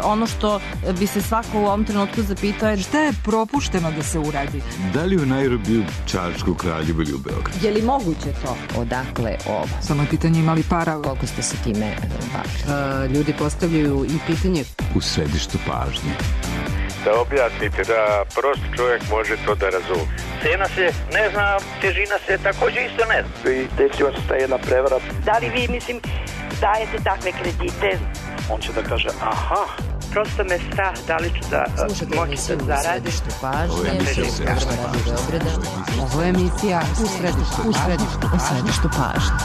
ono što bi se svako u ovom trenutku zapitao je šta je propušteno da se uradi? Da li u Nairobiju, Čačku, Kraljevu ili u Beogradu? Je li moguće to? Odakle ovo? Samo je pitanje imali para. Koliko ste se time bavili? Ljudi postavljaju i pitanje u središtu pažnje. Da objasnite, da prost čovjek može to da razumije. Cena se ne zna, težina se također isto ne zna. I desila se ta jedna prevara. Da li vi, dajete takve kredite? On će da kaže, aha. Prosto me strah da li ću da moći da zaradim. Ovo je emisija u središtu pažnje.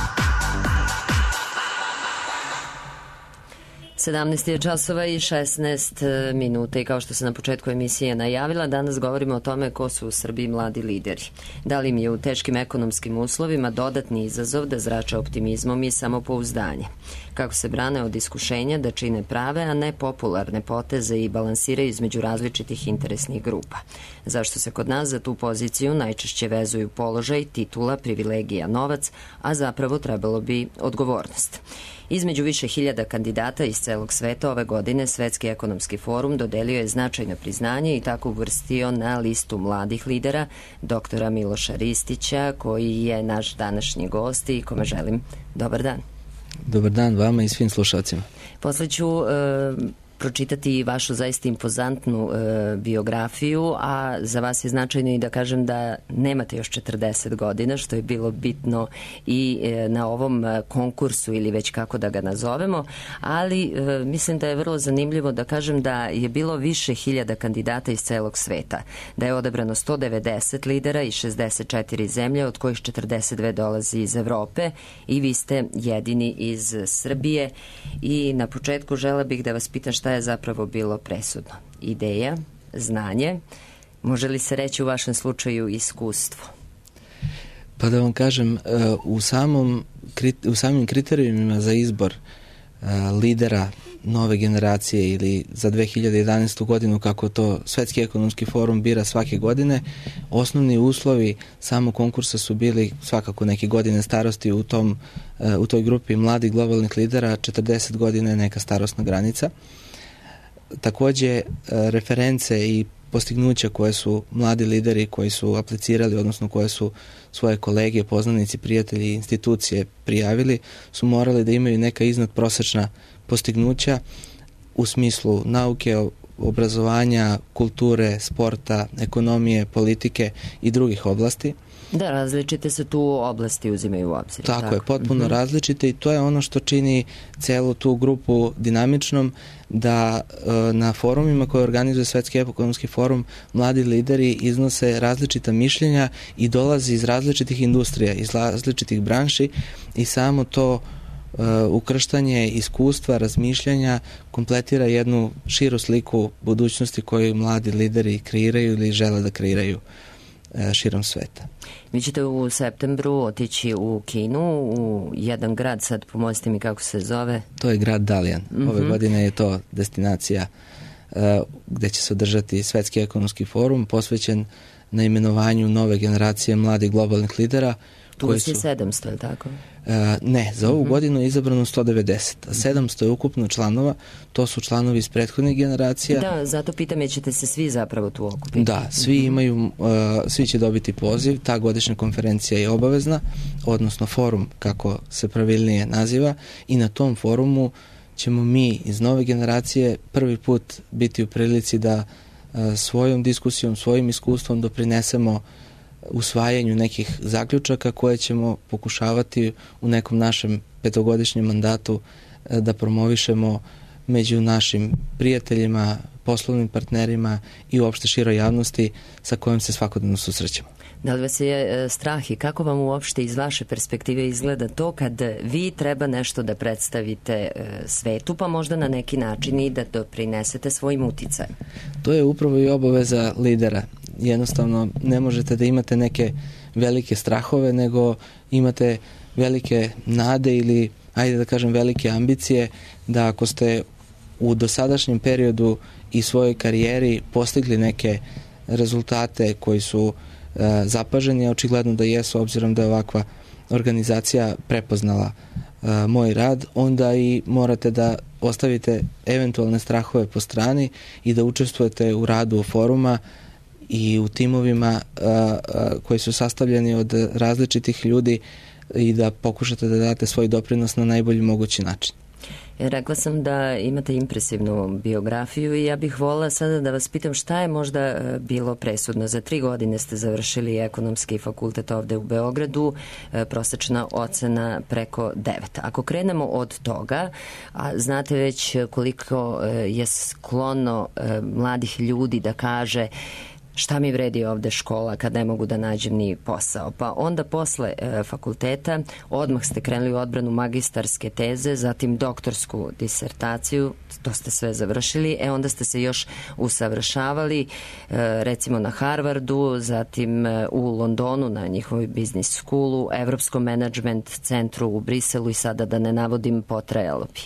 17 je časova i 16 minuta i kao što se na početku emisije najavila, danas govorimo o tome ko su u Srbiji mladi lideri. Da li im je u teškim ekonomskim uslovima dodatni izazov da zrače optimizmom i samopouzdanje? Kako se brane od iskušenja da čine prave, a ne popularne poteze i balansiraju između različitih interesnih grupa? Zašto se kod nas za tu poziciju najčešće vezuju položaj, titula, privilegija, novac, a zapravo trebalo bi odgovornost? Između više hiljada kandidata iz celog sveta ove godine Svetski ekonomski forum dodelio je značajno priznanje i tako uvrstio na listu mladih lidera doktora Miloša Ristića, koji je naš današnji gost i kome želim dobar dan. Dobar dan vama i svim slušalcima. Posle ću pročitati vašu zaista impozantnu biografiju, a za vas je značajno i da kažem da nemate još 40 godina, što je bilo bitno i na ovom konkursu ili već kako da ga nazovemo, ali mislim da je vrlo zanimljivo da kažem da je bilo više hiljada kandidata iz celog sveta, da je odabrano 190 lidera iz 64 zemlje, od kojih 42 dolazi iz Evrope i vi ste jedini iz Srbije i na početku žela bih da vas pitam šta je zapravo bilo presudno. Ideja, znanje, može li se reći u vašem slučaju iskustvo? Pa da vam kažem, u samim kriterijumima za izbor lidera nove generacije ili za 2011. godinu, kako to Svetski ekonomski forum bira svake godine, osnovni uslovi samog konkursa su bili svakako neke godine starosti u toj grupi mladih globalnih lidera, 40 godina je neka starosna granica. Takođe, reference i postignuća koje su mladi lideri koji su aplicirali, odnosno koje su svoje kolege, poznanici, prijatelji i institucije prijavili, su morali da imaju neka iznadprosečna postignuća u smislu nauke, obrazovanja, kulture, sporta, ekonomije, politike i drugih oblasti. Da, različite se tu oblasti uzimaju u obzir. Tako je, potpuno različite i to je ono što čini celu tu grupu dinamičnom, da na forumima koje organizuje Svetski ekonomski forum mladi lideri iznose različita mišljenja i dolazi iz različitih industrija, iz različitih branši i samo to ukrštanje iskustva, razmišljanja kompletira jednu širu sliku budućnosti koju mladi lideri kreiraju ili žele da kreiraju širom sveta. Vi ćete u septembru otići u Kinu, u jedan grad, sad pomozite mi kako se zove. To je grad Dalian. Ove godine je to destinacija gde će se održati Svetski ekonomski forum posvećen na imenovanju nove generacije mladih globalnih lidera. Tu je 700, je tako? Ne, za ovu godinu je izabrano 190, a 700 je ukupno članova, to su članovi iz prethodnih generacija. Da, zato pitam, jer ćete se svi zapravo tu okupiti. Da, svi će dobiti poziv, ta godišnja konferencija je obavezna, odnosno forum, kako se pravilnije naziva, i na tom forumu ćemo mi iz nove generacije prvi put biti u prilici da svojom diskusijom, svojim iskustvom doprinesemo usvajanju nekih zaključaka koje ćemo pokušavati u nekom našem petogodišnjem mandatu da promovišemo među našim prijateljima, poslovnim partnerima i uopšte široj javnosti sa kojom se svakodnevno susrećemo. Da li vas je strah i kako vam uopšte iz vaše perspektive izgleda to kad vi treba nešto da predstavite svetu, pa možda na neki način i da doprinesete svojim uticajem? To je upravo i obaveza lidera. Jednostavno ne možete da imate neke velike strahove, nego imate velike nade ili, ajde da kažem, velike ambicije da ako ste u dosadašnjem periodu i svojoj karijeri postigli neke rezultate koji su zapaženi, a očigledno da jesu, obzirom da je ovakva organizacija prepoznala moj rad, onda i morate da ostavite eventualne strahove po strani i da učestvujete u radu foruma i u timovima koji su sastavljeni od različitih ljudi i da pokušate da date svoj doprinos na najbolji mogući način. Rekla sam da imate impresivnu biografiju i ja bih volila sada da vas pitam šta je možda bilo presudno. Za 3 godine ste završili ekonomski fakultet ovde u Beogradu, prosečna ocena preko 9. Ako krenemo od toga, a znate već koliko je sklono mladih ljudi da kaže šta mi vredi ovde škola kad ne mogu da nađem ni posao. Pa onda posle fakulteta odmah ste krenuli u odbranu magistarske teze, zatim doktorsku disertaciju, to ste sve završili, onda ste se još usavršavali recimo na Harvardu, zatim u Londonu na njihovoj business schoolu, Evropskom management centru u Briselu i sada da ne navodim potrajalo bi.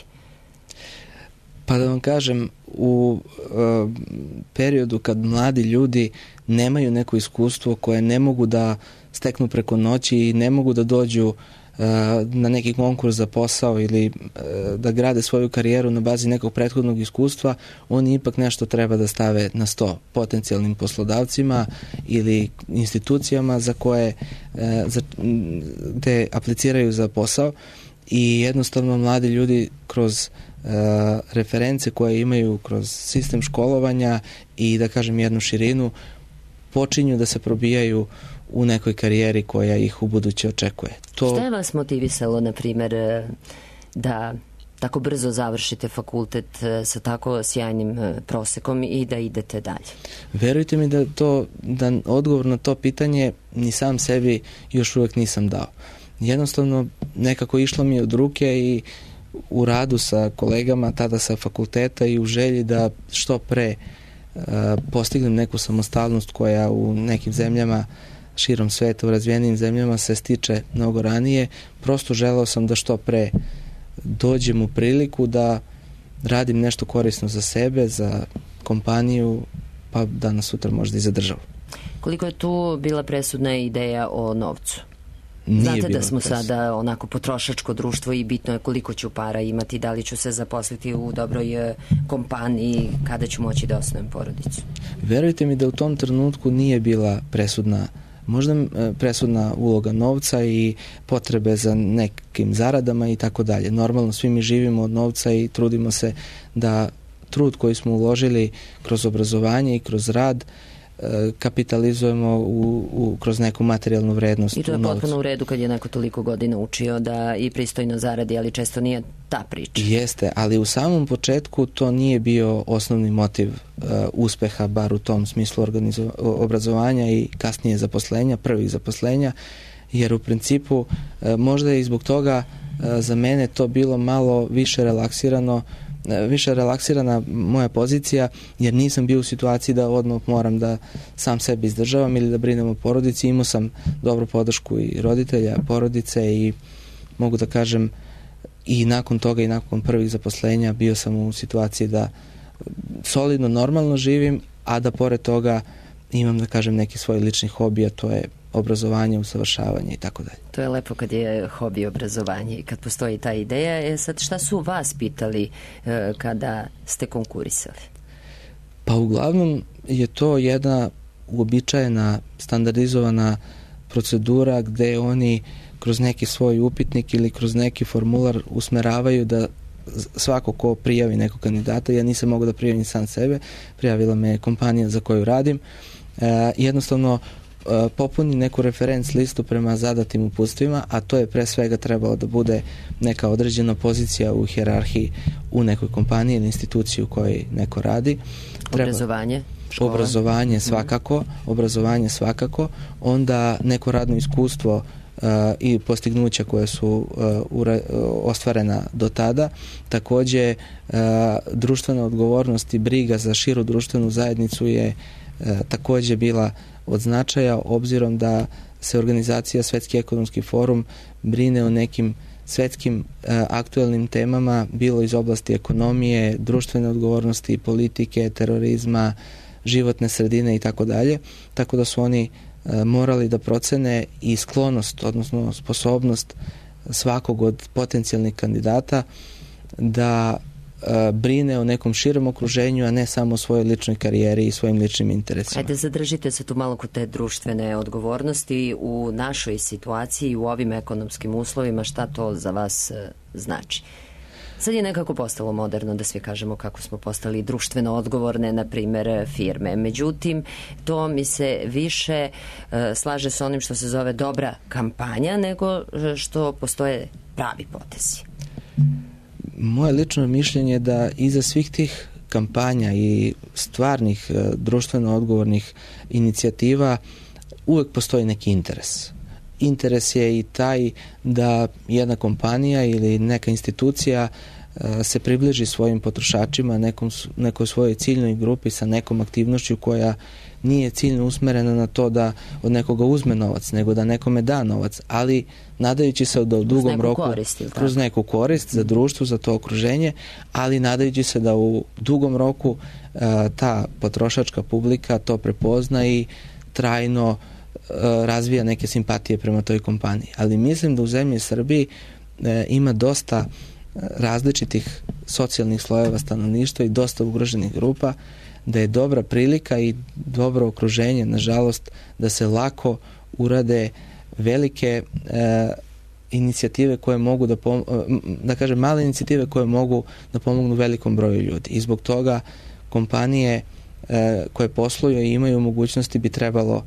Pa da vam kažem, u periodu kad mladi ljudi nemaju neko iskustvo koje ne mogu da steknu preko noći i ne mogu da dođu na neki konkurs za posao ili da grade svoju karijeru na bazi nekog prethodnog iskustva, oni ipak nešto treba da stave na sto potencijalnim poslodavcima ili institucijama za koje gde apliciraju za posao i jednostavno mladi ljudi kroz reference koje imaju kroz sistem školovanja i da kažem jednu širinu počinju da se probijaju u nekoj karijeri koja ih u buduće očekuje. Šta je vas motivisalo, na primjer, da tako brzo završite fakultet sa tako sjajnim prosekom i da idete dalje? Verujte mi da odgovor na to pitanje ni sam sebi još uvek nisam dao. Jednostavno nekako išlo mi od ruke i u radu sa kolegama tada sa fakulteta i u želji da što pre postignem neku samostalnost koja u nekim zemljama širom sveta, u razvijenim zemljama se stiče mnogo ranije. Prosto želeo sam da što pre dođem u priliku da radim nešto korisno za sebe, za kompaniju, pa danas sutra možda i za državu. Koliko je tu bila presudna ideja o novcu? Znate da smo sada onako potrošačko društvo i bitno je koliko ću para imati, da li ću se zaposliti u dobroj kompaniji, kada ću moći da osnovim porodicu. Verujte mi da u tom trenutku nije bila presudna uloga novca i potrebe za nekim zaradama i tako dalje. Normalno svi mi živimo od novca i trudimo se da trud koji smo uložili kroz obrazovanje i kroz rad kapitalizujemo kroz neku materijalnu vrednost. I to je potpuno u redu kad je neko toliko godina učio da i pristojno zaradi, ali često nije ta priča. Jeste, ali u samom početku to nije bio osnovni motiv uspeha, bar u tom smislu obrazovanja i kasnije zaposlenja, prvih zaposlenja, jer u principu možda je i zbog toga za mene to bilo malo više relaksirana moja pozicija, jer nisam bio u situaciji da odmah moram da sam sebi izdržavam ili da brinem o porodici. Imao sam dobru podršku i roditelja, porodice i mogu da kažem i nakon toga i nakon prvih zaposlenja bio sam u situaciji da solidno, normalno živim, a da pored toga imam da kažem neki svoj lični hobi, a to je obrazovanje, usavršavanje i tako dalje. To je lepo kad je hobi obrazovanje i kad postoji ta ideja. Sad šta su vas pitali kada ste konkurisali? Pa uglavnom je to jedna uobičajena, standardizovana procedura gde oni kroz neki svoj upitnik ili kroz neki formular usmeravaju da svako ko prijavi nekog kandidata, ja nisam mogao da prijavim sam sebe, prijavila me kompanija za koju radim, jednostavno popuni neku referenc listu prema zadatim uputstvima, a to je pre svega trebalo da bude neka određena pozicija u hijerarhiji u nekoj kompaniji ili instituciji u kojoj neko radi. Obrazovanje? Škola? Obrazovanje svakako, onda neko radno iskustvo i postignuća koje su ostvarena do tada. Takođe, društvena odgovornost i briga za širu društvenu zajednicu je takođe bila od značaja, obzirom da se organizacija Svetski ekonomski forum brine o nekim svetskim aktuelnim temama, bilo iz oblasti ekonomije, društvene odgovornosti, politike, terorizma, životne sredine i tako dalje. Tako da su oni morali da procene i sklonost, odnosno sposobnost svakog od potencijalnih kandidata da brine o nekom širom okruženju, a ne samo o svojoj ličnoj karijeri i svojim ličnim interesima. Ajde, zadržite se tu malo kod te društvene odgovornosti u našoj situaciji, u ovim ekonomskim uslovima, šta to za vas znači? Sad je nekako postalo moderno da svi kažemo kako smo postali društveno odgovorne, na primjer, firme. Međutim, to mi se više slaže s onim što se zove dobra kampanja, nego što postoje pravi potezi. Moje lično mišljenje je da iza svih tih kampanja i stvarnih društveno odgovornih inicijativa uvek postoji neki interes. Interes je i taj da jedna kompanija ili neka institucija se približi svojim potrošačima, nekoj svojoj ciljnoj grupi sa nekom aktivnošću koja nije ciljno usmerena na to da od nekoga uzme novac, nego da nekome da novac, ali nadajući se da u dugom roku kroz neku korist za društvo, za to okruženje, ali nadajući se da u dugom roku ta potrošačka publika to prepozna i trajno razvija neke simpatije prema toj kompaniji. Ali mislim da u zemlji Srbiji ima dosta različitih socijalnih slojeva stanovništva i dosta ugroženih grupa, da je dobra prilika i dobro okruženje, nažalost, da se lako urade velike inicijative koje mogu da kažem, male inicijative koje mogu da pomognu velikom broju ljudi. I zbog toga kompanije koje posluju i imaju mogućnosti bi trebalo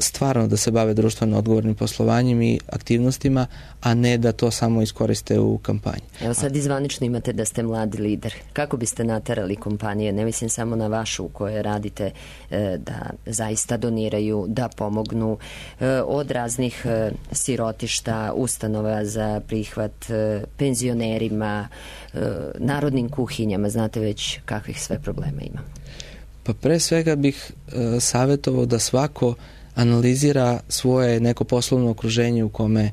stvarno da se bave društveno odgovornim poslovanjem i aktivnostima, a ne da to samo iskoriste u kampanji. Evo sad izvanično imate da ste mladi lider. Kako biste naterali kompanije, ne mislim samo na vašu u kojoj radite, da zaista doniraju, da pomognu od raznih sirotišta, ustanova za prihvat penzionerima, narodnim kuhinjama, znate već kakvih sve problema ima? Pa pre svega bih savjetovao da svako analizira svoje neko poslovno okruženje u kome,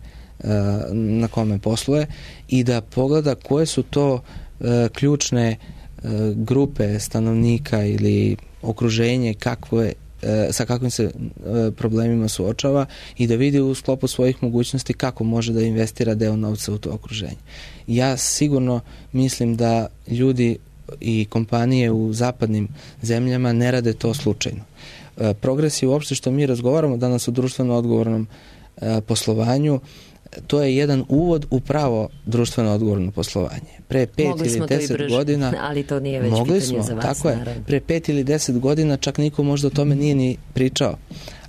na kome posluje i da pogleda koje su to ključne grupe stanovnika ili okruženje sa kakvim se problemima suočava i da vidi u sklopu svojih mogućnosti kako može da investira deo novca u to okruženje. Ja sigurno mislim da ljudi i kompanije u zapadnim zemljama ne rade to slučajno. Progresi uopšte što mi razgovaramo danas o društveno odgovornom poslovanju, to je jedan uvod u pravo društveno odgovorno poslovanje. Pre 5 ili 10 godina, ali to nije već pitanje za vas. Tako je. Pre 5 ili 10 godina čak niko možda o tome nije ni pričao.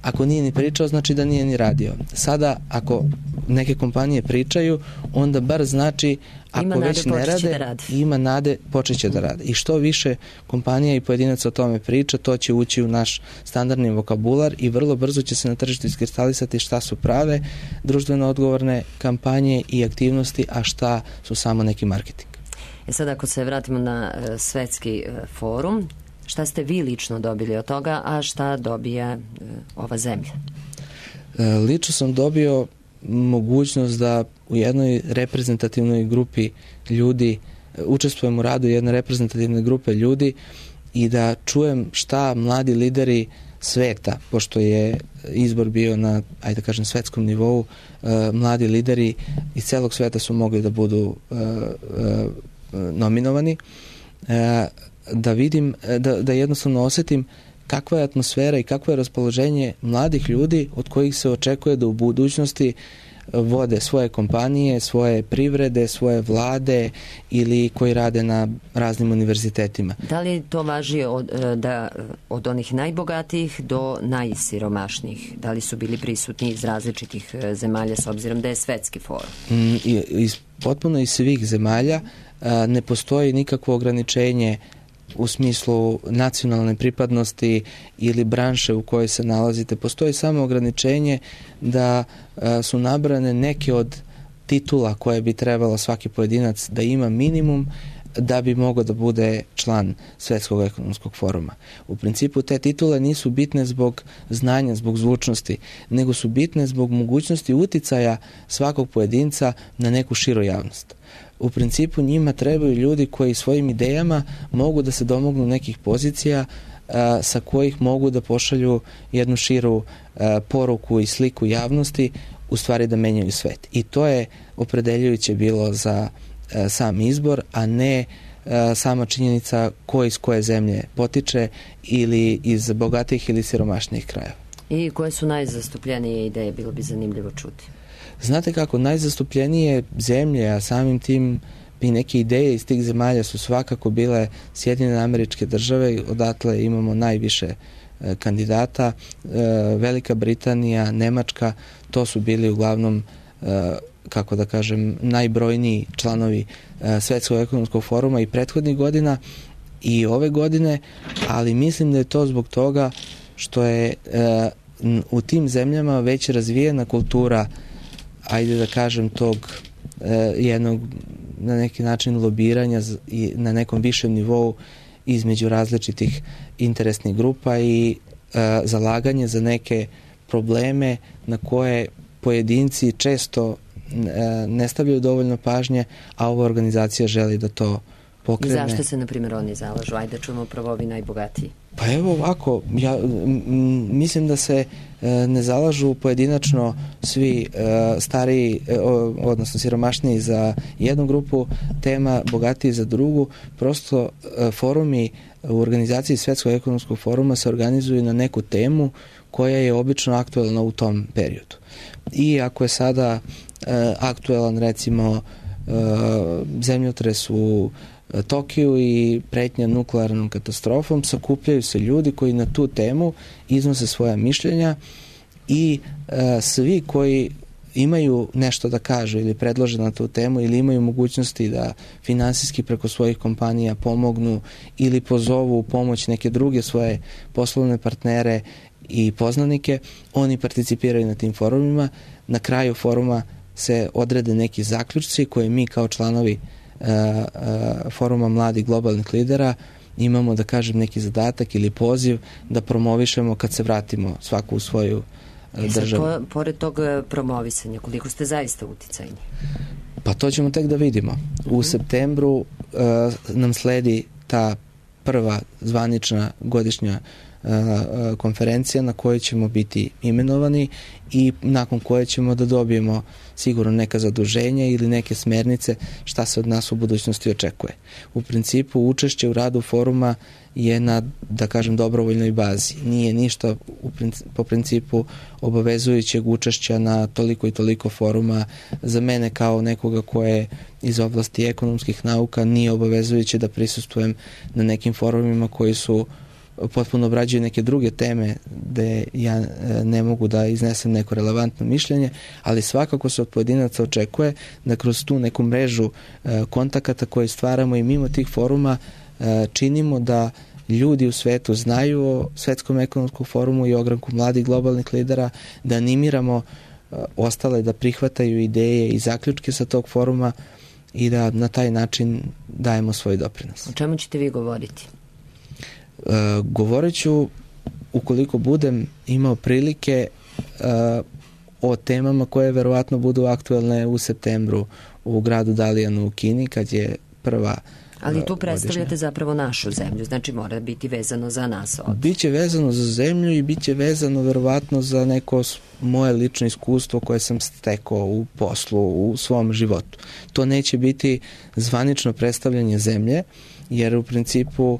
Ako nije ni pričao, znači da nije ni radio. Sada, ako neke kompanije pričaju, onda bar znači ako već ne rade, ima nade, počeće da rade. I što više kompanija i pojedinaca o tome priča, to će ući u naš standardni vokabular i vrlo brzo će se na tržištu iskristalisati šta su prave društveno odgovorne kampanje i aktivnosti, a šta su samo neki marketing. Sad ako se vratimo na svetski forum, šta ste vi lično dobili od toga, a šta dobija ova zemlja? Lično sam dobio mogućnost da u jednoj reprezentativnoj grupi ljudi, učestvujem u radu jedne reprezentativne grupe ljudi i da čujem šta mladi lideri sveta, pošto je izbor bio na, ajde da kažem, svetskom nivou, mladi lideri iz celog sveta su mogli da budu nominovani, da vidim, da jednostavno osetim kakva je atmosfera i kakvo je raspoloženje mladih ljudi od kojih se očekuje da u budućnosti vode svoje kompanije, svoje privrede, svoje vlade ili koji rade na raznim univerzitetima. Da li to važi od onih najbogatijih do najsiromašnijih? Da li su bili prisutni iz različitih zemalja s obzirom da je svetski forum? Potpuno iz svih zemalja. Ne postoji nikakvo ograničenje u smislu nacionalne pripadnosti ili branše u kojoj se nalazite. Postoji samo ograničenje da su nabrane neke od titula koje bi trebalo svaki pojedinac da ima minimum da bi mogao da bude član Svetskog ekonomskog foruma. U principu te titule nisu bitne zbog znanja, zbog zvučnosti, nego su bitne zbog mogućnosti uticaja svakog pojedinca na neku širu javnost. U principu njima trebaju ljudi koji svojim idejama mogu da se domognu nekih pozicija sa kojih mogu da pošalju jednu širu poruku i sliku javnosti u stvari da menjaju svet. I to je opredeljujuće bilo za sam izbor, a ne sama činjenica ko iz koje zemlje potiče ili iz bogatih ili siromašnijih krajeva. I koje su najzastupljenije ideje, bilo bi zanimljivo čuti? Znate kako, najzastupljenije zemlje, a samim tim i neke ideje iz tih zemalja su svakako bile Sjedinjene Američke Države, odatle imamo najviše kandidata, Velika Britanija, Nemačka, to su bili uglavnom, kako da kažem, najbrojniji članovi Svetskog ekonomskog foruma i prethodnih godina i ove godine, ali mislim da je to zbog toga što je u tim zemljama već razvijena kultura, ajde da kažem, tog jednog na neki način lobiranja i na nekom višem nivou između različitih interesnih grupa i zalaganje za neke probleme na koje pojedinci često ne stavljaju dovoljno pažnje, a ova organizacija želi da to pokrene. I zašto se, na primjer, oni zalažu? Ajde čujemo prvo ovi najbogatiji. Pa evo ovako, ja mislim da se ne zalažu pojedinačno svi stariji, odnosno siromašniji za jednu grupu tema, bogatiji za drugu. Prosto forumi u organizaciji Svetskog ekonomskog foruma se organizuju na neku temu koja je obično aktuelna u tom periodu. I ako je sada aktuelan, recimo, zemljotres u Tokiju i pretnja nuklearnom katastrofom, sakupljaju se ljudi koji na tu temu iznose svoja mišljenja i svi koji imaju nešto da kažu ili predlože na tu temu ili imaju mogućnosti da finansijski preko svojih kompanija pomognu ili pozovu u pomoć neke druge svoje poslovne partnere i poznanike, oni participiraju na tim forumima. Na kraju foruma se odrede neki zaključci koje mi kao članovi foruma mladih globalnih lidera imamo, da kažem, neki zadatak ili poziv da promovišemo kad se vratimo svaku u svoju državu. Pored tog promovisanja, koliko ste zaista uticajni? Pa to ćemo tek da vidimo. U septembru nam sledi ta prva zvanična godišnja konferencija na kojoj ćemo biti imenovani i nakon koje ćemo da dobijemo sigurno neka zaduženja ili neke smernice šta se od nas u budućnosti očekuje. U principu učešće u radu foruma je na, da kažem, dobrovoljnoj bazi. Nije ništa po principu obavezujućeg učešća na toliko i toliko foruma. Za mene kao nekoga ko je iz oblasti ekonomskih nauka nije obavezujuće da prisustvujem na nekim forumima koji su potpuno obrađuju neke druge teme gde ja ne mogu da iznesem neko relevantno mišljenje, ali svakako se od pojedinaca očekuje da kroz tu neku mrežu kontakata koje stvaramo i mimo tih foruma činimo da ljudi u svetu znaju o Svetskom ekonomskom forumu i ogranku mladih globalnih lidera, da animiramo ostale da prihvataju ideje i zaključke sa tog foruma i da na taj način dajemo svoj doprinos. O čemu ćete vi govoriti? Govorit ću, ukoliko budem imao prilike, o temama koje verovatno budu aktuelne u septembru u gradu Dalijanu u Kini, kad je prva. Ali tu predstavljate zapravo našu zemlju, znači mora biti vezano za nas ovdje. Biće vezano za zemlju i biće vezano verovatno za neko moje lično iskustvo koje sam stekao u poslu, u svom životu. To neće biti zvanično predstavljanje zemlje, jer u principu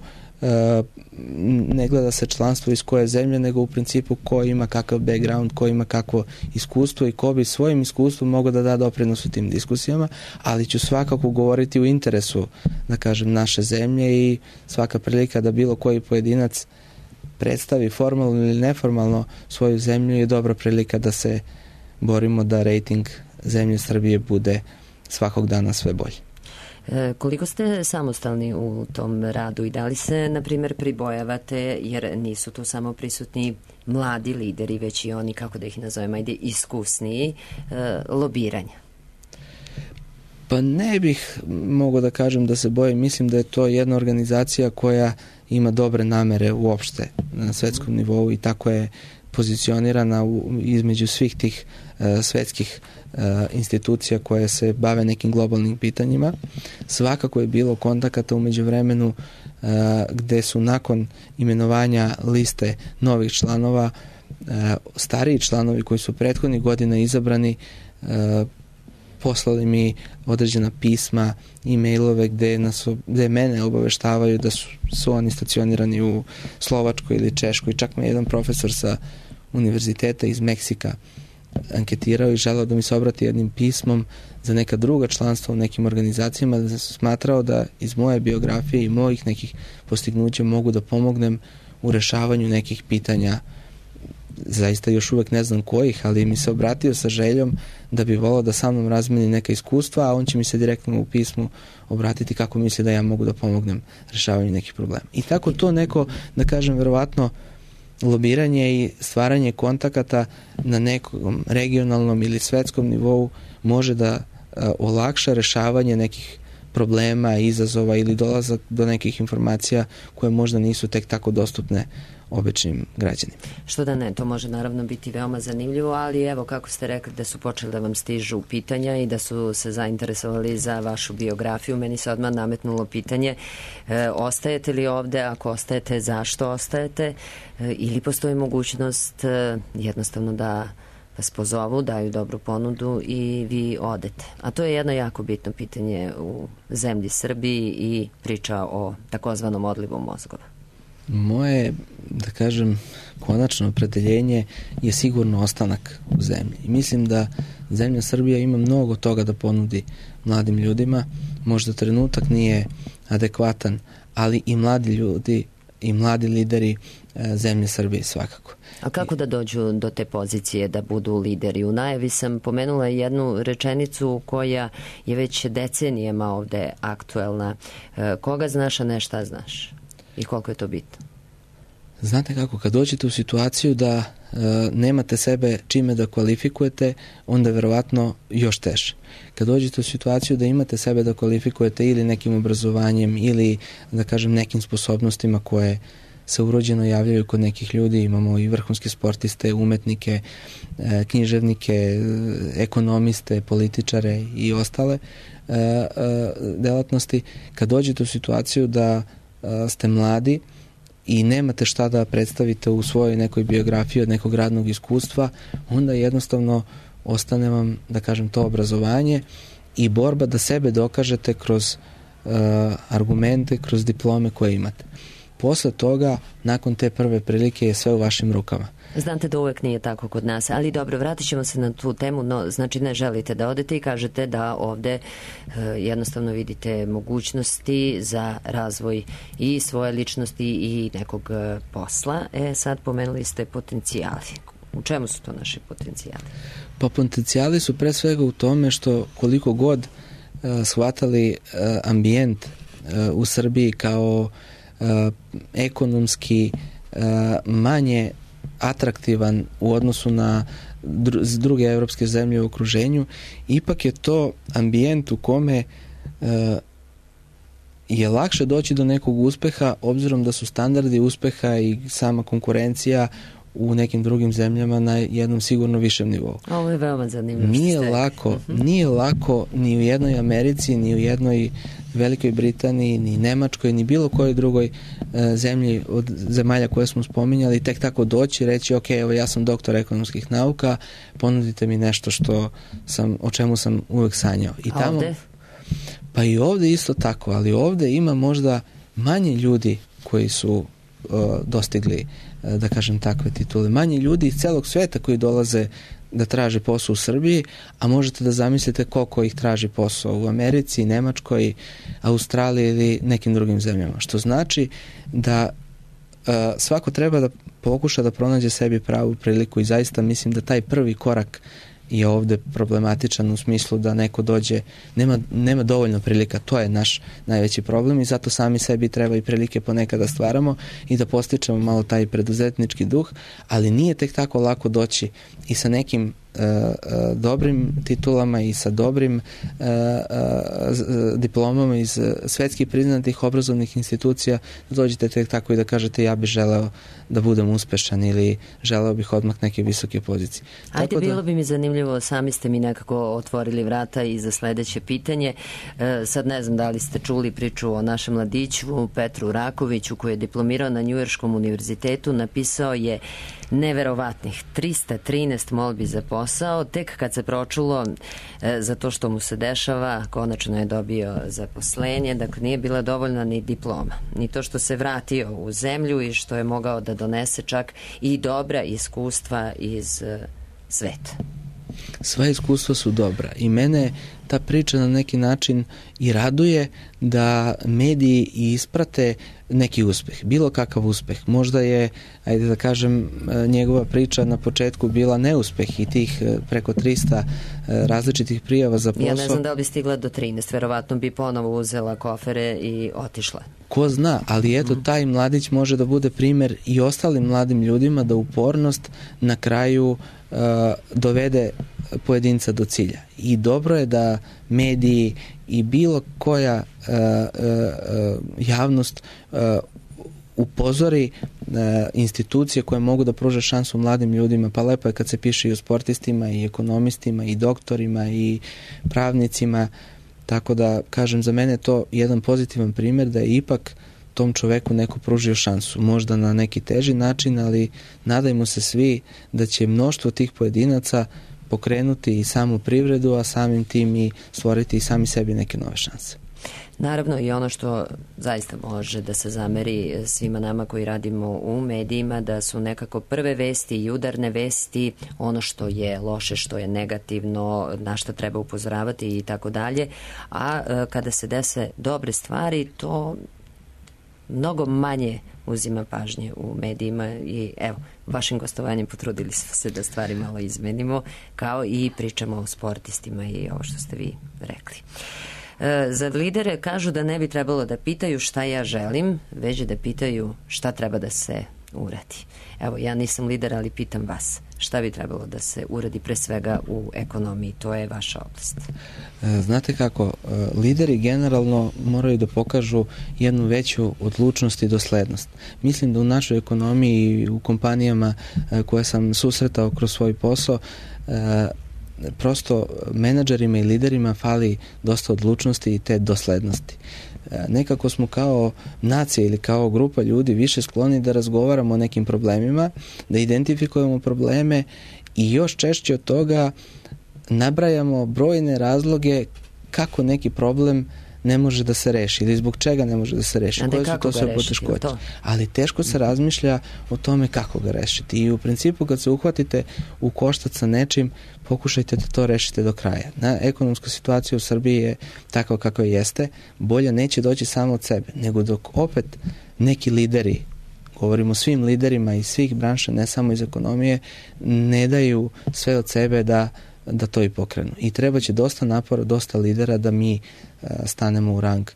ne gleda se članstvo iz koje zemlje, nego u principu ko ima kakav background, ko ima kakvo iskustvo i ko bi svojim iskustvom mogao da da doprinos u tim diskusijama, ali ću svakako govoriti u interesu, da kažem, naše zemlje i svaka prilika da bilo koji pojedinac predstavi formalno ili neformalno svoju zemlju je dobra prilika da se borimo da rejting zemlje Srbije bude svakog dana sve bolji. Koliko ste samostalni u tom radu i da li se, na primjer, pribojavate, jer nisu tu samo prisutni mladi lideri, već i oni, kako da ih nazovem, ajde, iskusniji, lobiranja? Pa ne bih mogao da kažem da se bojim. Mislim da je to jedna organizacija koja ima dobre namere uopšte na svetskom nivou i tako je pozicionirana između svih tih svetskih institucija koje se bave nekim globalnim pitanjima. Svakako je bilo kontakata u međuvremenu gde su nakon imenovanja liste novih članova stariji članovi koji su prethodnih godina izabrani poslali mi određena pisma, e-mailove gde mene obaveštavaju da su oni stacionirani u Slovačkoj ili Češkoj. Čak me jedan profesor sa univerziteta iz Meksika anketirao i želeo da mi se obrati jednim pismom za neka druga članstva u nekim organizacijama, da sam smatrao da iz moje biografije i mojih nekih postignuća mogu da pomognem u rešavanju nekih pitanja. Zaista još uvek ne znam kojih, ali mi se obratio sa željom da bi volao da sa mnom razmeni neka iskustva, a on će mi se direktno u pismu obratiti kako misli da ja mogu da pomognem rešavanju nekih problema. I tako to neko, da kažem, verovatno lobiranje i stvaranje kontakata na nekom regionalnom ili svetskom nivou može da olakša rešavanje nekih problema, izazova ili dolazak do nekih informacija koje možda nisu tek tako dostupne običnim građanima. Što da ne, to može naravno biti veoma zanimljivo, ali evo kako ste rekli da su počeli da vam stižu pitanja i da su se zainteresovali za vašu biografiju, meni se odmah nametnulo pitanje ostajete li ovde, ako ostajete, zašto ostajete, ili postoji mogućnost jednostavno da vas pozovu, daju dobru ponudu i vi odete. A to je jedno jako bitno pitanje u zemlji Srbiji i priča o takozvanom odlivu mozgova. Moje, da kažem, konačno opredeljenje je sigurno ostanak u zemlji. I mislim da zemlja Srbija ima mnogo toga da ponudi mladim ljudima. Možda trenutak nije adekvatan, ali i mladi ljudi i mladi lideri zemlje Srbije svakako. A kako da dođu do te pozicije da budu lideri? U najavi sam pomenula jednu rečenicu koja je već decenijama ovde aktuelna. Koga znaš, a ne šta znaš? I koliko je to bitno? Znate kako, kad dođete u situaciju da nemate sebe čime da kvalifikujete, onda je verovatno još teže. Kad dođete u situaciju da imate sebe da kvalifikujete ili nekim obrazovanjem ili, da kažem, nekim sposobnostima koje se urođeno javljaju kod nekih ljudi, imamo i vrhunske sportiste, umetnike, književnike, ekonomiste, političare i ostale delatnosti. Kad dođete u situaciju da ste mladi i nemate šta da predstavite u svojoj nekoj biografiji od nekog radnog iskustva, onda jednostavno ostane vam, da kažem, to obrazovanje i borba da sebe dokažete kroz argumente, kroz diplome koje imate. Posle toga, nakon te prve prilike, je sve u vašim rukama. Znate da uvek nije tako kod nas, ali dobro, vratit ćemo se na tu temu, no znači ne želite da odete i kažete da ovde jednostavno vidite mogućnosti za razvoj i svoje ličnosti i nekog posla. Sad pomenuli ste potencijali. U čemu su to naši potencijali? Pa potencijali su pre svega u tome što koliko god shvatali ambijent u Srbiji kao ekonomski manje atraktivan u odnosu na druge evropske zemlje u okruženju, ipak je to ambijent u kome je lakše doći do nekog uspeha, obzirom da su standardi uspeha i sama konkurencija u nekim drugim zemljama na jednom sigurno višem nivou. Ovo je veoma zanimljivo. Nije lako ni u jednoj Americi, ni u jednoj Velikoj Britaniji, ni Nemačkoj, ni bilo kojoj drugoj zemlji od zemalja koje smo spominjali, tek tako doći i reći, ok, evo ja sam doktor ekonomskih nauka, ponudite mi nešto o čemu sam uvek sanjao. I tamo, ovde? Pa i ovde isto tako, ali ovde ima možda manje ljudi koji su dostigli, da kažem, takve titule. Manje ljudi iz celog sveta koji dolaze da traže posao u Srbiji, a možete da zamislite koliko ih traži posao u Americi, Nemačkoj, Australiji ili nekim drugim zemljama. Što znači da svako treba da pokuša da pronađe sebi pravu priliku i zaista mislim da taj prvi korak je ovde problematičan u smislu da neko dođe, nema dovoljno prilika, to je naš najveći problem i zato sami sebi treba i prilike ponekad da stvaramo i da postičemo malo taj preduzetnički duh, ali nije tek tako lako doći i sa nekim dobrim titulama i sa dobrim diplomama iz svetski priznatih obrazovnih institucija, da dođete tek tako i da kažete ja bih želeo da budem uspešan ili želeo bih odmah neke visoke pozicije. Ajde, bilo bi mi zanimljivo, sami ste mi nekako otvorili vrata i za sledeće pitanje. Sad ne znam da li ste čuli priču o našem mladiću Petru Rakoviću koji je diplomirao na Njujorškom univerzitetu, napisao je Neverovatnih 313 molbi za posao, tek kad se pročulo za to što mu se dešava, konačno je dobio zaposlenje, dakle nije bila dovoljna ni diploma, ni to što se vratio u zemlju i što je mogao da donese čak i dobra iskustva iz sveta. Sva iskustva su dobra i mene ta priča na neki način i raduje da mediji isprate neki uspeh, bilo kakav uspeh. Možda je, ajde da kažem, njegova priča na početku bila neuspeh i tih preko 300 različitih prijava za posao. Ja ne znam da li bi stigla do 13, verovatno bi ponovo uzela kofere i otišla. Ko zna, ali eto, taj mladić može da bude primer i ostalim mladim ljudima da upornost na kraju dovede pojedinca do cilja. I dobro je da mediji i bilo koja javnost upozori institucije koje mogu da pruže šansu mladim ljudima, pa lepo je kad se piše i o sportistima i ekonomistima i doktorima i pravnicima, tako da kažem, za mene je to jedan pozitivan primjer da je ipak tom čoveku neko pružio šansu, možda na neki teži način, ali nadajmo se svi da će mnoštvo tih pojedinaca pokrenuti i samu privredu, a samim tim i stvoriti i sami sebi neke nove šanse. Naravno i ono što zaista može da se zameri svima nama koji radimo u medijima, da su nekako prve vesti i udarne vesti ono što je loše, što je negativno, na što treba upozoravati i tako dalje, a kada se dese dobre stvari, to mnogo manje uzima pažnje u medijima i evo, vašim gostovanjem potrudili smo se da stvari malo izmenimo, kao i pričamo o sportistima i ovo što ste vi rekli. Za lidere kažu da ne bi trebalo da pitaju šta ja želim, već da pitaju šta treba da se uradi. Evo, ja nisam lider, ali pitam vas, šta bi trebalo da se uradi pre svega u ekonomiji, to je vaša oblast. Znate kako, lideri generalno moraju da pokažu jednu veću odlučnost i doslednost. Mislim da u našoj ekonomiji i u kompanijama koje sam susretao kroz svoj posao, prosto menadžerima i liderima fali dosta odlučnosti i te doslednosti. Nekako smo kao nacija ili kao grupa ljudi više skloni da razgovaramo o nekim problemima, da identifikujemo probleme i još češće od toga nabrajamo brojne razloge kako neki problem ne može da se reši ili zbog čega ne može da se reši. Koje su to sve poteškoće? Ali teško se razmišlja o tome kako ga rešiti. I u principu kad se uhvatite u koštac sa nečim, pokušajte da to rešite do kraja. Ekonomska situacija u Srbiji je takva kakva jeste. Bolja neće doći samo od sebe, nego dok opet neki lideri, govorimo o svim liderima iz svih branša, ne samo iz ekonomije, ne daju sve od sebe da to i pokrenu. I treba će dosta napora, dosta lidera da mi stanemo u rang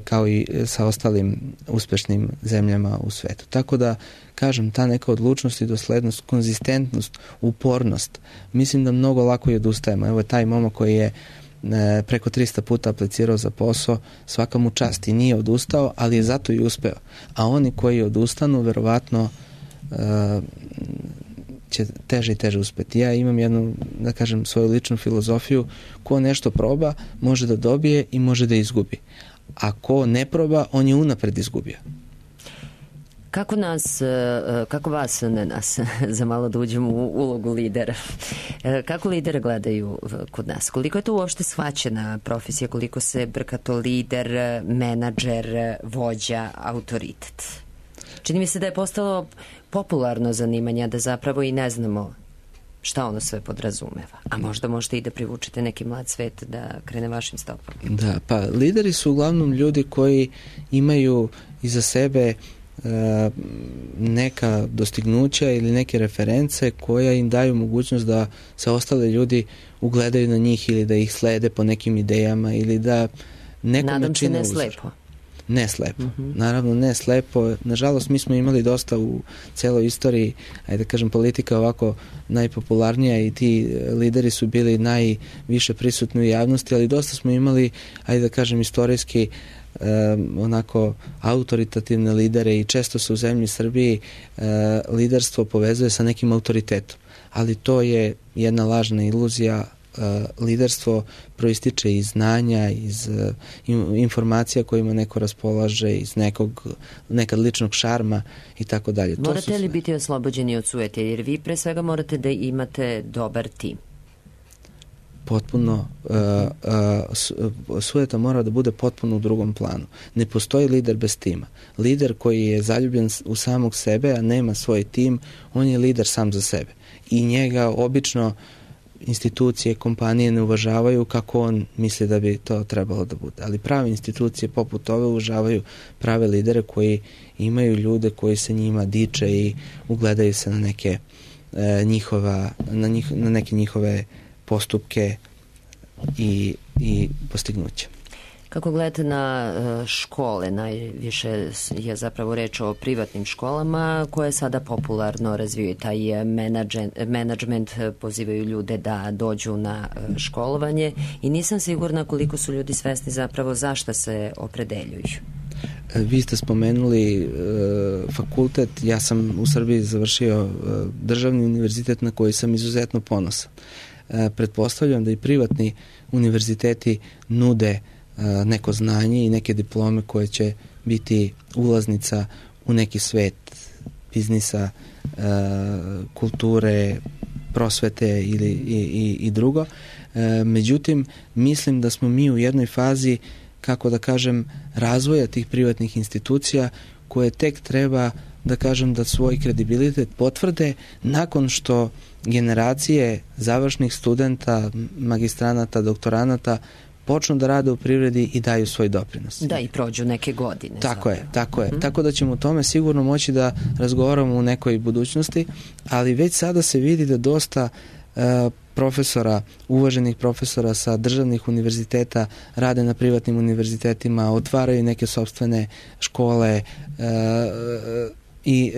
kao i sa ostalim uspešnim zemljama u svetu. Tako da, kažem, ta neka odlučnost i doslednost, konzistentnost, upornost, mislim da mnogo lako i odustajemo. Evo je taj momak koji je preko 300 puta aplicirao za posao, svaka mu čast i nije odustao, ali je zato i uspeo. A oni koji odustanu, verovatno će teže i teže uspeti. Ja imam jednu, da kažem, svoju ličnu filozofiju, ko nešto proba, može da dobije i može da izgubi. A ko ne proba, on je unapred izgubio. Kako vas, ne nas, za malo da uđemo u ulogu lidera, kako lidere gledaju kod nas? Koliko je to uopšte shvaćena profesija, koliko se brka to lider, menadžer, vođa, autoritet? Čini mi se da je postalo popularno zanimanje, da zapravo i ne znamo šta ono sve podrazumeva. A možda možete i da privučete neki mlad svet da krene vašim stopama. Da, pa lideri su uglavnom ljudi koji imaju iza sebe neka dostignuća ili neke reference koja im daju mogućnost da se ostale ljudi ugledaju na njih ili da ih slede po nekim idejama ili da nekome čine uzor. Nadam se ne slepo. Ne slepo. Naravno ne slepo. Nažalost mi smo imali dosta u celoj istoriji, ajde da kažem, politika ovako najpopularnija i ti lideri su bili najviše prisutni u javnosti, ali dosta smo imali, ajde da kažem, istorijski onako autoritativne lidere i često se u zemlji Srbiji liderstvo povezuje sa nekim autoritetom. Ali to je jedna lažna iluzija liderstvo proističe iz znanja, iz informacija kojima neko raspolaže, iz nekad ličnog šarma i tako dalje. Morate li biti oslobođeni od sujete, jer vi pre svega morate da imate dobar tim? Potpuno, sujeta mora da bude potpuno u drugom planu. Ne postoji lider bez tima. Lider koji je zaljubljen u samog sebe, a nema svoj tim, on je lider sam za sebe. I njega obično institucije, kompanije ne uvažavaju kako on misli da bi to trebalo da bude. Ali prave institucije poput ove uvažavaju prave lidere koji imaju ljude koji se njima diče i ugledaju se na neke njihove postupke i postignuće. Kako gledate na škole? Najviše je zapravo reč o privatnim školama koje sada popularno razvijaju taj menadžment, pozivaju ljude da dođu na školovanje i nisam sigurna koliko su ljudi svesni zapravo zašto se opredeljuju. Vi ste spomenuli fakultet, ja sam u Srbiji završio državni univerzitet na koji sam izuzetno ponosan. Pretpostavljam da i privatni univerziteti nude neko znanje i neke diplome koje će biti ulaznica u neki svet biznisa, kulture, prosvete i drugo. Međutim, mislim da smo mi u jednoj fazi, kako da kažem, razvoja tih privatnih institucija koje tek treba da kažem da svoj kredibilitet potvrde nakon što generacije završnih studenta, magistranata, doktoranata počnu da rade u privredi i daju svoj doprinos. Da, i prođu neke godine. Tako je. Tako da ćemo o tome sigurno moći da razgovaramo u nekoj budućnosti, ali već sada se vidi da dosta profesora, uvaženih profesora sa državnih univerziteta rade na privatnim univerzitetima, otvaraju neke sopstvene škole i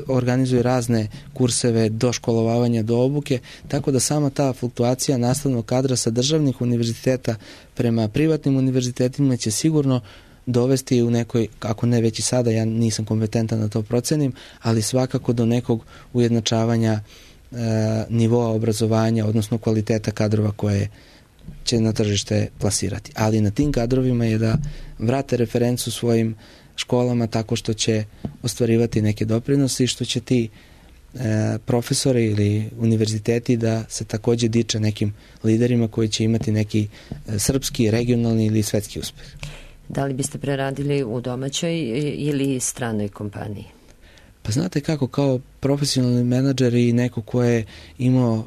organizuju razne kurseve do školovanja, do obuke, tako da sama ta fluktuacija nastavnog kadra sa državnih univerziteta prema privatnim univerzitetima će sigurno dovesti u nekoj, ako ne već i sada, ja nisam kompetentan da to procenim, ali svakako do nekog ujednačavanja nivoa obrazovanja, odnosno kvaliteta kadrova koje će na tržište plasirati. Ali na tim kadrovima je da vrate referencu svojim školama tako što će ostvarivati neke doprinose i što će ti profesori ili univerziteti da se takođe diče nekim liderima koji će imati neki srpski, regionalni ili svetski uspeh. Da li biste preradili u domaćoj ili stranoj kompaniji? Pa znate kako, kao profesionalni menadžer i neko ko je imao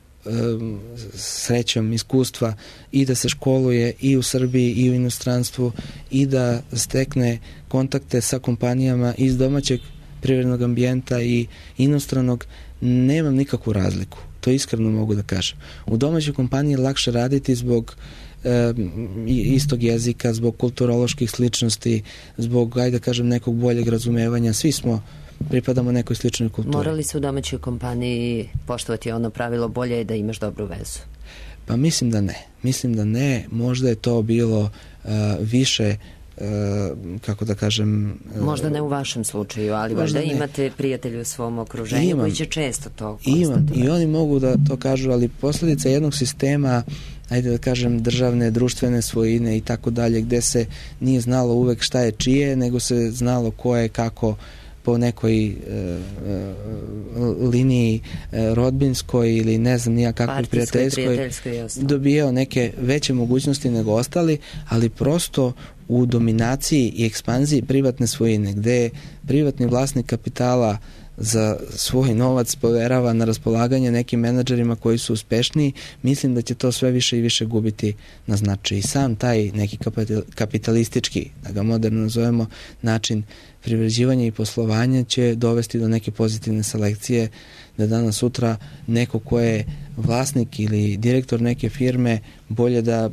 srećom iskustva i da se školuje i u Srbiji i u inostranstvu i da stekne kontakte sa kompanijama iz domaćeg privrednog ambijenta i inostranog, nemam nikakvu razliku. To iskreno mogu da kažem. U domaćoj kompaniji je lakše raditi zbog istog jezika, zbog kulturoloških sličnosti, zbog, ajde da kažem, nekog boljeg razumevanja. Svi pripadamo nekoj sličnoj kulturi. Morali se u domaćoj kompaniji poštovati ono pravilo bolje je da imaš dobru vezu? Pa mislim da ne. Možda je to bilo više, kako da kažem... Možda ne u vašem slučaju, ali valjda imate prijatelje u svom okruženju koji će često to konstatovati. Imam i oni mogu da to kažu, ali posledica jednog sistema, ajde da kažem, državne, društvene svojine i tako dalje, gde se nije znalo uvek šta je čije, nego se znalo ko je kako po nekoj liniji rodbinskoj ili ne znam nija kakvoj prijateljskoj dobijao neke veće mogućnosti nego ostali, ali prosto u dominaciji i ekspanziji privatne svojine, gde privatni vlasnik kapitala za svoj novac poverava na raspolaganje nekim menadžerima koji su uspešniji, mislim da će to sve više i više gubiti na značaju. I sam taj neki kapitalistički, da ga moderno nazovemo, način privređivanja i poslovanja će dovesti do neke pozitivne selekcije, da danas sutra neko ko je vlasnik ili direktor neke firme bolje da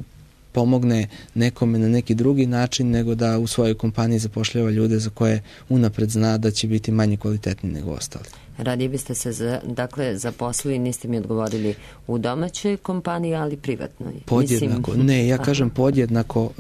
pomogne nekome na neki drugi način nego da u svojoj kompaniji zapošljava ljude za koje unapred zna da će biti manje kvalitetni nego ostali. Radije biste se zaposlili, niste mi odgovorili, u domaćoj kompaniji, ali privatnoj. Podjednako. Ne, ja kažem podjednako.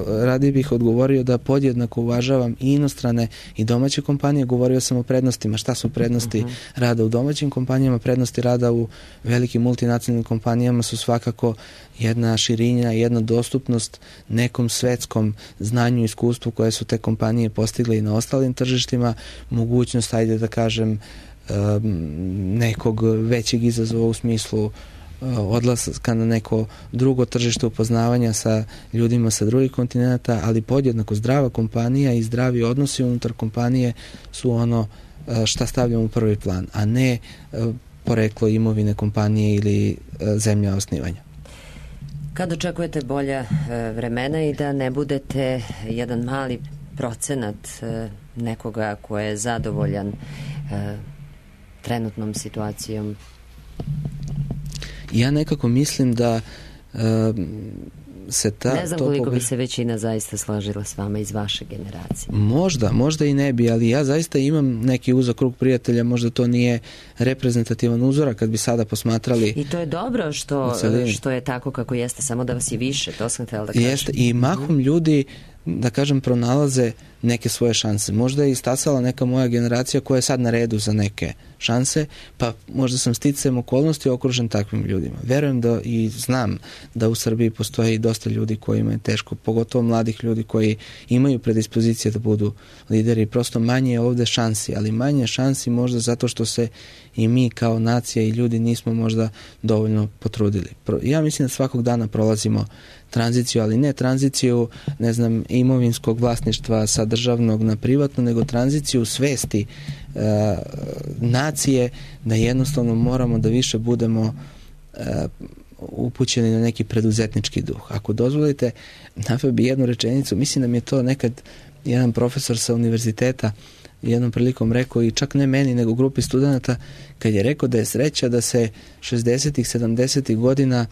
Radije bih odgovorio da podjednako uvažavam i inostrane i domaće kompanije. Govorio sam o prednostima. Šta su prednosti rada u domaćim kompanijama? Prednosti rada u velikim multinacionalnim kompanijama su svakako jedna širinja, jedna dostupnost nekom svetskom znanju i iskustvu koje su te kompanije postigle i na ostalim tržištima, mogućnost, ajde da kažem, nekog većeg izazova u smislu odlaska na neko drugo tržište, upoznavanja sa ljudima sa drugih kontinenta, ali podjednako zdrava kompanija i zdravi odnosi unutar kompanije su ono šta stavljamo u prvi plan, a ne poreklo imovine kompanije ili zemlja osnivanja. Kad očekujete bolja vremena i da ne budete jedan mali procenat nekoga ko je zadovoljan trenutnom situacijom? Ja nekako mislim da se ne znam koliko bi se većina zaista složila s vama iz vaše generacije. Možda i ne bi, ali ja zaista imam neki uzak krug prijatelja, možda to nije reprezentativan uzorak kad bi sada posmatrali. I to je dobro što je tako kako jeste, samo da vas je više, to sam htjela da kažem. Jeste, i mahom ljudi, da kažem, pronalaze neke svoje šanse. Možda je istasala neka moja generacija koja je sad na redu za neke šanse, pa možda sam sticajem okolnosti okružen takvim ljudima. Verujem da i znam da u Srbiji postoji dosta ljudi kojima je teško, pogotovo mladih ljudi koji imaju predispozicije da budu lideri. Prosto manje je ovde šansi, ali manje šansi možda zato što se i mi kao nacija i ljudi nismo možda dovoljno potrudili. Ja mislim da svakog dana prolazimo tranziciju, ali ne tranziciju, ne znam, imovinskog vlasništva sa državnog na privatno, nego tranziciju svesti nacije, da jednostavno moramo da više budemo upućeni na neki preduzetnički duh. Ako dozvolite, naveo bi jednu rečenicu, mislim da mi je to nekad jedan profesor sa univerziteta jednom prilikom rekao, i čak ne meni, nego grupi studenata, kad je rekao da je sreća da se 60-ih, 70-ih godina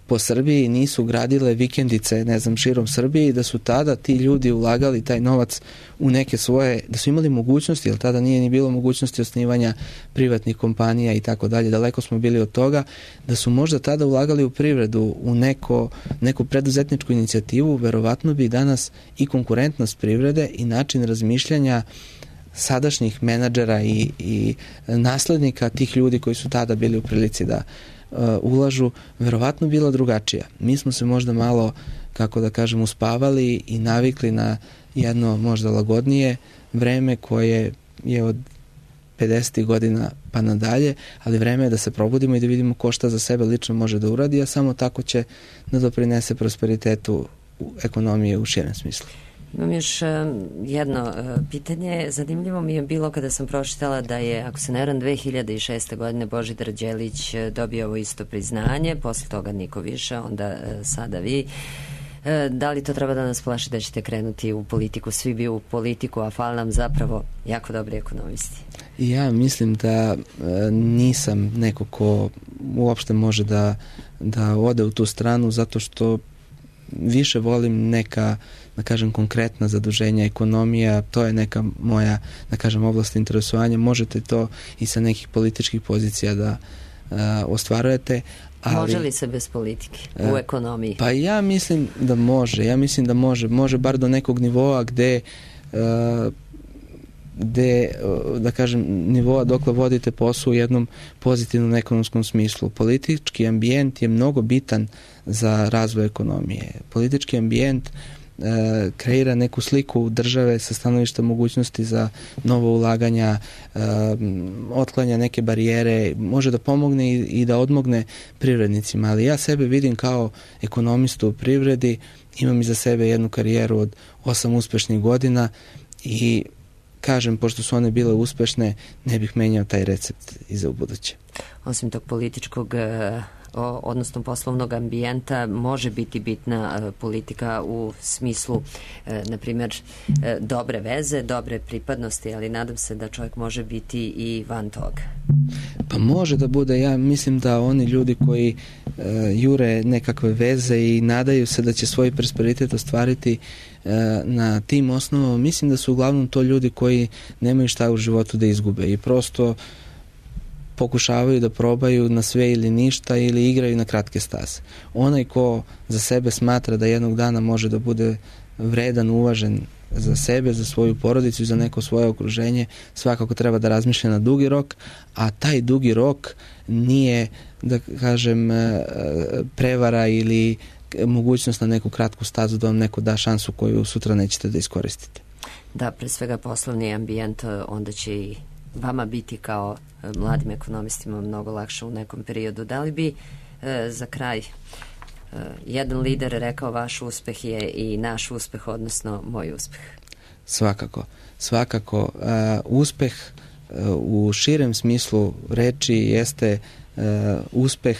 po Srbiji nisu gradile vikendice, ne znam, širom Srbije, i da su tada ti ljudi ulagali taj novac u neke svoje, da su imali mogućnosti, jer tada nije ni bilo mogućnosti osnivanja privatnih kompanija i tako dalje, daleko smo bili od toga, da su možda tada ulagali u privredu, u neku preduzetničku inicijativu, verovatno bi danas i konkurentnost privrede i način razmišljanja sadašnjih menadžera i naslednika tih ljudi koji su tada bili u prilici da ulažu, verovatno bila drugačija. Mi smo se možda malo, kako da kažem, uspavali i navikli na jedno možda lagodnije vreme koje je od 50. godina pa nadalje, ali vreme je da se probudimo i da vidimo ko šta za sebe lično može da uradi, a samo tako će da doprinese prosperitetu ekonomije u širem smislu. Imam još jedno pitanje. Zanimljivo mi je bilo kada sam pročitala da je, ako se ne varam, 2006. godine Božidar Đelić dobio ovo isto priznanje, posle toga niko više, onda sada vi. Da li to treba da nas plaši da ćete krenuti u politiku? Svi bi u politiku, a fali nam zapravo jako dobri ekonomisti. Ja mislim da nisam neko ko uopšte može da ode u tu stranu, zato što više volim neka, da kažem, konkretna zaduženja, ekonomija, to je neka moja, da kažem, oblast interesovanja. Možete to i sa nekih političkih pozicija da ostvarujete. Ali, može li se bez politike u ekonomiji? Pa ja mislim da može. Može bar do nekog nivoa gde da kažem, nivoa dokle vodite posao u jednom pozitivnom ekonomskom smislu. Politički ambijent je mnogo bitan za razvoj ekonomije. Politički ambijent kreira neku sliku države sa stanovišta mogućnosti za novo ulaganja, otklanja neke barijere, može da pomogne i da odmogne privrednicima, ali ja sebe vidim kao ekonomistu u privredi, imam iza sebe jednu karijeru od 8 uspešnih godina i kažem, pošto su one bile uspešne, ne bih menjao taj recept i za ubuduće. Osim tog političkog, odnosno poslovnog ambijenta, može biti bitna politika u smislu, na primjer, dobre veze, dobre pripadnosti, ali nadam se da čovjek može biti i van toga. Pa može da bude, ja mislim da oni ljudi koji jure nekakve veze i nadaju se da će svoj prosperitet ostvariti na tim osnovama, mislim da su uglavnom to ljudi koji nemaju šta u životu da izgube i prosto pokušavaju da probaju na sve ili ništa ili igraju na kratke staze. Onaj ko za sebe smatra da jednog dana može da bude vredan, uvažen za sebe, za svoju porodicu i za neko svoje okruženje, svakako treba da razmišlja na dugi rok, a taj dugi rok nije, da kažem, prevara ili mogućnost na neku kratku stazu da vam neko da šansu koju sutra nećete da iskoristite. Da, pre svega poslovni ambijent, onda će i vama biti kao mladim ekonomistima mnogo lakše u nekom periodu. Da li bi za kraj jedan lider rekao vaš uspeh je i naš uspeh, odnosno moj uspeh? Svakako. Uspeh u širem smislu reči jeste uspeh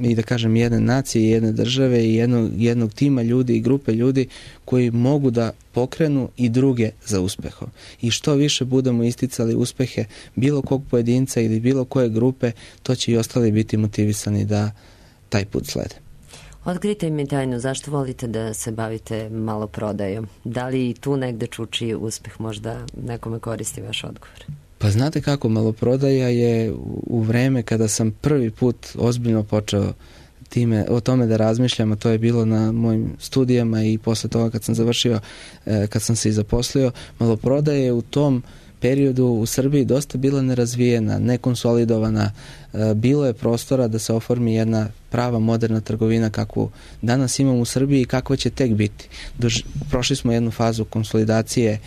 i da kažem jedne nacije, jedne države i jednog tima ljudi i grupe ljudi koji mogu da pokrenu i druge za uspehom. I što više budemo isticali uspehe bilo kog pojedinca ili bilo koje grupe, to će i ostali biti motivisani da taj put slede. Otkrite mi tajnu, zašto volite da se bavite maloprodajom? Da li tu negde čuči uspeh, možda nekome koristi vaš odgovor? Pa znate kako, maloprodaja je u vreme kada sam prvi put ozbiljno počeo o tome da razmišljam, a to je bilo na mojim studijama i posle toga kad sam završio, kad sam se i zaposlio, maloprodaja je u tom periodu u Srbiji dosta bila nerazvijena, nekonsolidovana, bilo je prostora da se oformi jedna prava moderna trgovina kakvu danas imamo u Srbiji i kakva će tek biti. Prošli smo jednu fazu konsolidacije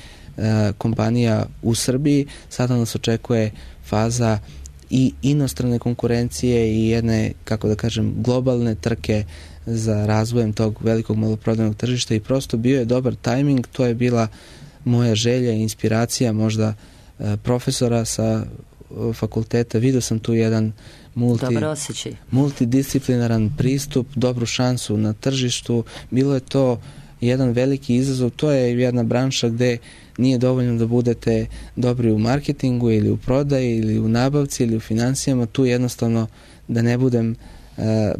kompanija u Srbiji, sada nas očekuje faza i inostrane konkurencije i jedne, kako da kažem, globalne trke za razvojem tog velikog maloprodajnog tržišta i prosto bio je dobar tajming, to je bila moja želja i inspiracija možda profesora sa fakulteta. Vidio sam tu jedan multidisciplinaran pristup, dobru šansu na tržištu. Bilo je to jedan veliki izazov. To je jedna branša gde nije dovoljno da budete dobri u marketingu ili u prodaji ili u nabavci ili u financijama. Tu jednostavno, da ne budem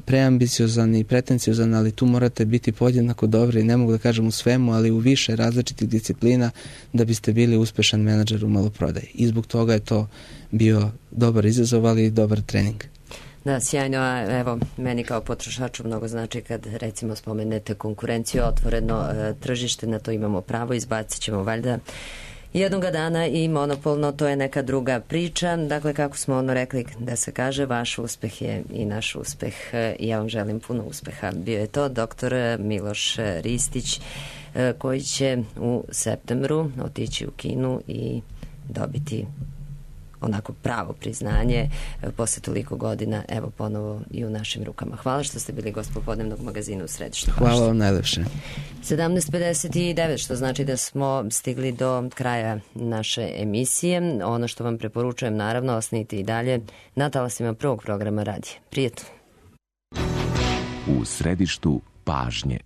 preambiciozan i pretenciozan, ali tu morate biti podjednako dobri, ne mogu da kažem u svemu, ali u više različitih disciplina da biste bili uspešan menadžer u maloprodaji. I zbog toga je to bio dobar izazov, ali i dobar trening. Da, sjajno, a evo, meni kao potrošaču mnogo znači kad recimo spomenete konkurenciju, otvoreno tržište, na to imamo pravo, izbacit ćemo valjda jednoga dana i monopolno, to je neka druga priča. Dakle, kako smo rekli da se kaže, vaš uspeh je i naš uspeh i ja vam želim puno uspeha. Bio je to doktor Miloš Ristić koji će u septembru otići u Kinu i dobiti onako pravo priznanje posle toliko godina, evo ponovo i u našim rukama. Hvala što ste bili gost popodnevnog magazina u Središtu pažnje. Hvala vam najlepše. 17:59, što znači da smo stigli do kraja naše emisije. Ono što vam preporučujem, naravno, ostanite i dalje na talasima prvog programa radija. Prijetno. U Središtu pažnje.